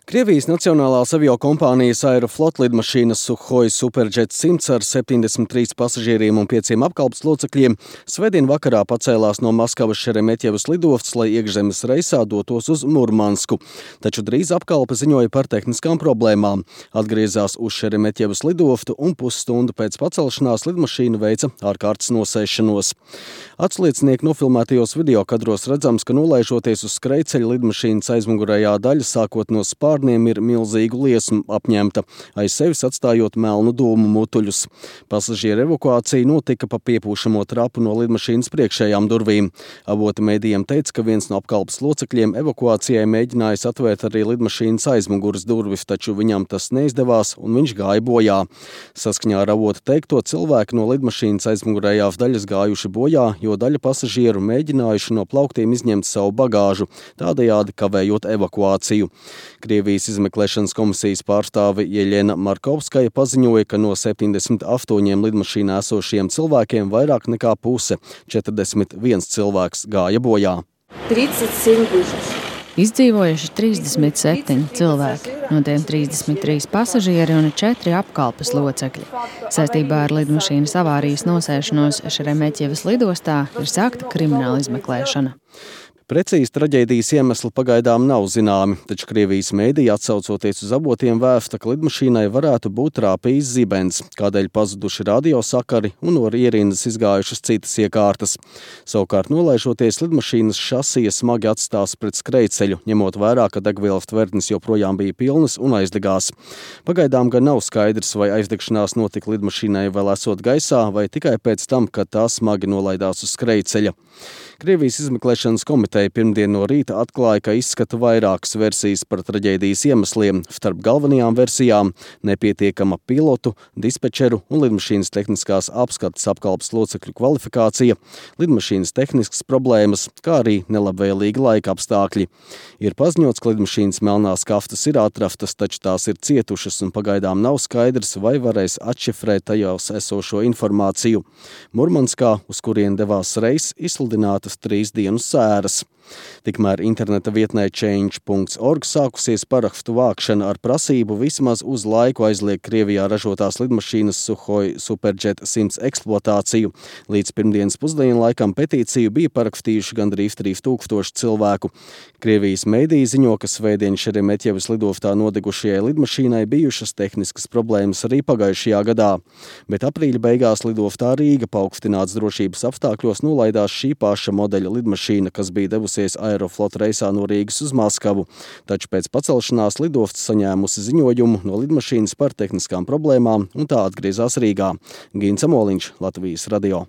Krievijas nacionālās aviokompānijas Aeroflot lidmašīnas Sukhoi Superjet 100 ar 73 pasažieriem un 5 apkalpes locekļiem svētdien vakarā pacēlās no Maskavas Šeremetjevas lidostas, lai iekšzemes reisā dotos uz Murmansku. Taču drīz apkalpe ziņoja par tehniskām problēmām. Atgriezās uz Šeremetjevas lidostu un pusstundu pēc pacelšanās lidmašīna veica ārkārtas nosēšanos. Atsliecinieki nofilmētajos videokadros redzams, ka nolaižoties uz skrejceļa lidmašīnas aizmugurējā daļa sākot no spārniem ir milzīgu liesmu apņemta, aiz sevis atstājot melnu dūmu mutuļus. Pasažieru evakuācija notika pa piepūšamo trapu no lidmašīnas priekšējām durvīm. Avoti mēdījiem teica, ka viens no apkalpes locekļiem evakuācijai mēģinājis atvērt arī lidmašīnas aizmuguras durvis, taču viņam tas neizdevās un viņš gāja bojā. Saskaņā ar avotu teikto, cilvēki no lidmašīnas aizmugurējās daļas gājuši bojā, jo daļa pasažieru mēģinājuši no plauktiem izņemt savu bagāžu, tādējādi kavējot evakuāciju. Krievijas izmeklēšanas komisijas pārstāve Jeļena Markovskaja paziņoja, ka no 78 lidmašīnā esošiem cilvēkiem vairāk nekā puse, 41 cilvēks, gāja bojā. 37 выживших. Izdzīvojuši 37 cilvēki, no tiem 33 pasažieri un 4 apkalpes locekļi. Saistībā ar lidmašīnas avārijas nosēšanos Šeremetjevas lidostā ir sākta krimināla izmeklēšana. Precīzi traģēdijas iemesli pagaidām nav zināmi, taču Krievijas mēdīji, atsaucoties uz avotiem, vēsta, ka lidmašīnai varētu būt trāpījis zibens, kādēļ pazuduši radiosakari un no ierindas izgājušas citas iekārtas. Savukārt nolaižoties, lidmašīnas šasija smagi atstās pret skrejceļu, ņemot vērā, ka degvielas tvertnes joprojām bija pilnas un aizdegās. Pagaidām gan nav skaidrs, vai aizdegšanās notika lidmašīnai vēl esot gaisā vai tikai pēc tam, kad tā smagi nolaidās uz skrejceļa. Krievijas izmeklēšanas komiteja pirmdien no rīta atklāja, ka izskata vairākas versijas par traģēdijas iemesliem. Starp galvenajām versijām – nepietiekama pilotu, dispečeru un lidmašīnas tehniskās apskates apkalpes locekļu kvalifikācija, lidmašīnas tehniskas problēmas, kā arī nelabvēlīgi laika apstākļi. Ir paziņots, ka lidmašīnas melnās kaftas ir atrastas, taču tās ir cietušas un pagaidām nav skaidrs, vai varēs atšifrēt tajās esošo informāciju. Murmanskā, uz kurien devās reiss, izsludinātas 3 dienu sēras. Tikmēr interneta vietnē change.org sākusies parakstu vākšana ar prasību vismaz uz laiku aizliegt Krievijā ražotās lidmašīnas Sukhoi Superjet 100 eksploatāciju. Līdz pirmdienas pusdienu laikam petīciju bija parakstījuši gandrīz 3000 cilvēku. Krievijas mēdīji ziņo, ka svētdien Šeremetjevas lidostā nodegušajai lidmašīnai bijušas tehniskas problēmas arī pagājušajā gadā. Bet aprīļa beigās lidostā Rīga paaugstināts drošības apstākļos nolaidās šī paša modeļa lidmašīna, kas bija devusies Aeroflot reisā no Rīgas uz Maskavu. Taču pēc pacelšanās lidostas saņēmusi ziņojumu no lidmašīnas par tehniskām problēmām un tā atgriezās Rīgā. Gins Amoliņš, Latvijas radio.